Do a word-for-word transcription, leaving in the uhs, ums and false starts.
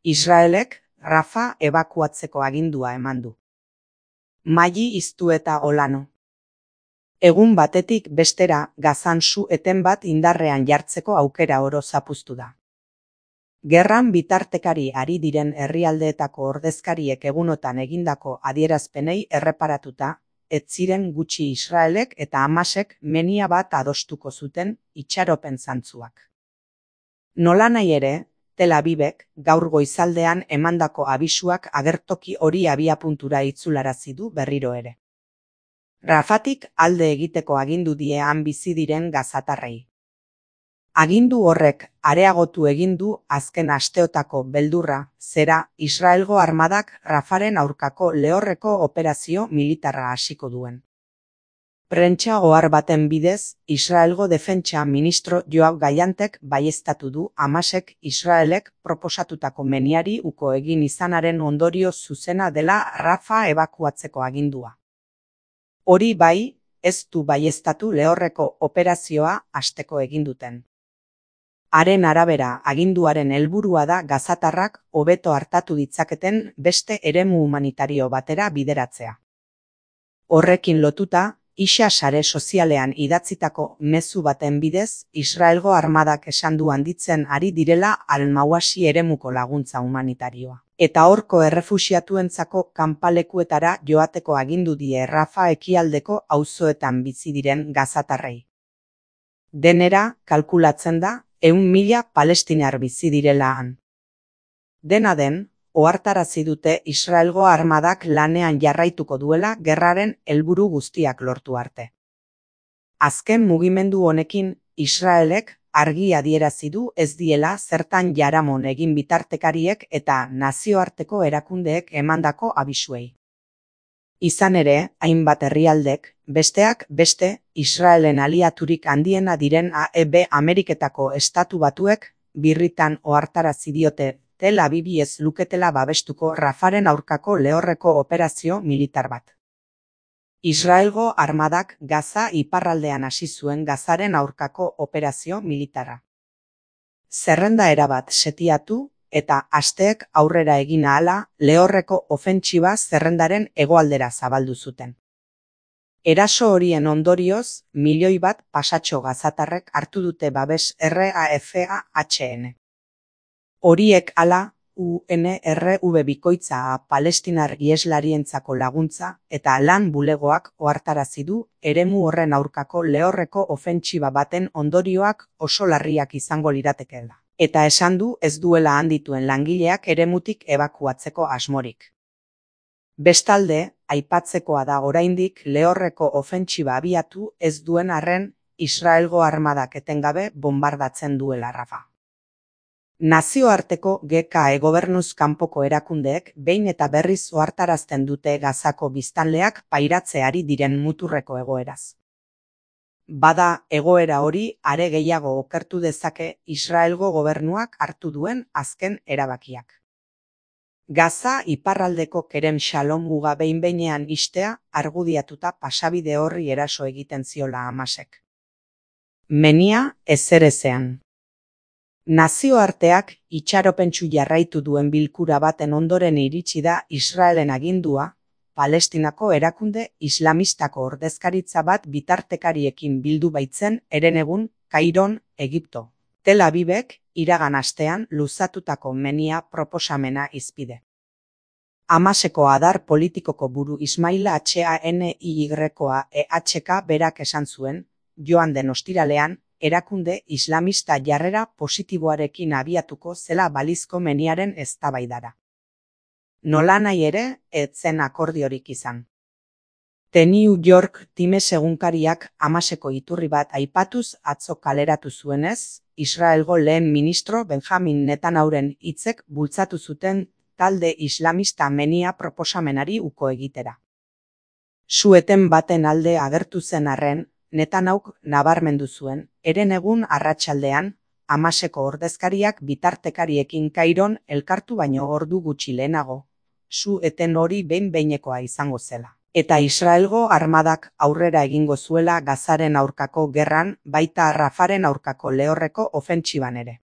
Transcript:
Israelek Rafa ebakuatzeko agindua eman du. Maili iztu eta Olano. Egun batetik bestera Gazan su-eten bat indarrean jartzeko aukera oro zapuztu da. Gerran bitartekari ari diren herrialdeetako ordezkariek egunotan egindako adierazpenei erreparatuta, ez ziren gutxi Israelek eta Hamasek menia bat adostuko zuten itxaropen zantzuak. Nolanahi ere, Tel Avivek gaur goizaldean emandako abisuak agertoki hori abiapuntura itzularazi du berriro ere. Rafatik alde egiteko agindu die han bizi diren gazatarrei. Agindu horrek areagotu egin du azken asteotako beldurra, zera Israelgo armadak Rafaren aurkako lehorreko operazio militarra hasiko duen. Prentsa ohar baten bidez, Israelgo defentsa ministro Yoav Gallantek baieztatu du Hamasek Israelek proposatutako meniari uko egin izanaren ondorio zuzena dela Rafa ebakuatzeko agindua. Hori bai, ez du baieztatu lehorreko operazioa hasteko egin duten. Haren arabera, aginduaren helburua da gazatarrak hobeto hartatu ditzaketen beste eremu humanitario batera bideratzea. Horrekin lotuta, Isa sare sozialean idatzitako mezu baten bidez, Israelgo armadak esan du handitzen ari direla Al-Mawasi eremuko laguntza humanitarioa. Eta horko errefuxiatuentzako kanpalekuetara joateko agindu die Rafa ekialdeko auzoetan bizi diren gazatarrei. Denera, kalkulatzen da, ehun mila palestinar bizi direla han. Dena den, ohartarazi dute Israelgo armadak lanean jarraituko duela gerraren helburu guztiak lortu arte. Azken mugimendu honekin, Israelek argi adierazi du ez diela zertan jaramon egin bitartekariek eta nazioarteko erakundeek emandako abisuei. Izan ere, hainbat herrialdek, besteak beste, Israelen aliaturik handiena diren A E B Ameriketako estatu batuek, birritan ohartarazi diote Tel Avivi ez luketela babestuko Rafaren aurkako lehorreko operazio militar bat. Israelgo armadak Gaza iparraldean hasi zuen Gazaren aurkako operazio militara. Zerrenda erabat setiatu eta asteek aurrera egin ahala lehorreko ofentsiba zerrendaren hegoaldera zabaldu zuten. Eraso horien ondorioz, milioi bat pasatxo gazatarrek hartu dute babes R A F A H N. Horiek hala, U N R W bikoitza palestinar iheslarientzako laguntza eta lan bulegoak ohartarazi du eremu horren aurkako lehorreko ofentsiba baten ondorioak oso larriak izango liratekeela. Eta esan du ez duela handituen langileak eremutik ebakuatzeko asmorik. Bestalde, aipatzekoa da oraindik lehorreko ofentsiba abiatu ez duen arren Israelgo armadak etengabe bombardatzen duela Rafa. Nazioarteko G K E gobernuz kanpoko erakundeek behin eta berriz ohartarazten dute Gazako biztanleak pairatzeari diren muturreko egoeraz. Bada egoera hori are gehiago okertu dezake Israelgo gobernuak hartu duen azken erabakiak. Gaza iparraldeko Kerem Shalom muga behin-behinean ixtea argudiatuta pasabide horri eraso egiten ziola Hamasek. Menia ezerezean. Nazioarteak itxaropentsu jarraitu duen bilkura baten ondoren iritsi da Israelen agindua, Palestinako erakunde islamistako ordezkaritza bat bitartekariekin bildu baitzen herenegun Kairon, Egipto. Tel Avivek iragan astean luzatutako menia proposamena izpide. Hamaseko adar politikoko buru Ismail Haniyehkoa E H K berak esan zuen, joan den ostiralean, erakunde islamista jarrera positiboarekin abiatuko zela balizko meniaren eztabaidara. Nolanahi ere, ez zen akordiorik izan. The New York Times egunkariak Hamaseko iturri bat aipatuz atzo kaleratu zuenez, Israelgo lehen ministro Benjamin Netanyahuren hitzek bultzatu zuten talde islamista menia proposamenari uko egitera. Su-eten baten alde agertu zen arren, Netanyahuk nabarmendu zuen, herenegun arratsaldean, Hamaseko ordezkariak bitartekariekin Kairon elkartu baino ordu gutxi lehenago, su-eten hori behin-behinekoa izango zela. Eta Israelgo armadak aurrera egingo zuela Gazaren aurkako gerran, baita Rafaren aurkako lehorreko ofentsiban ere.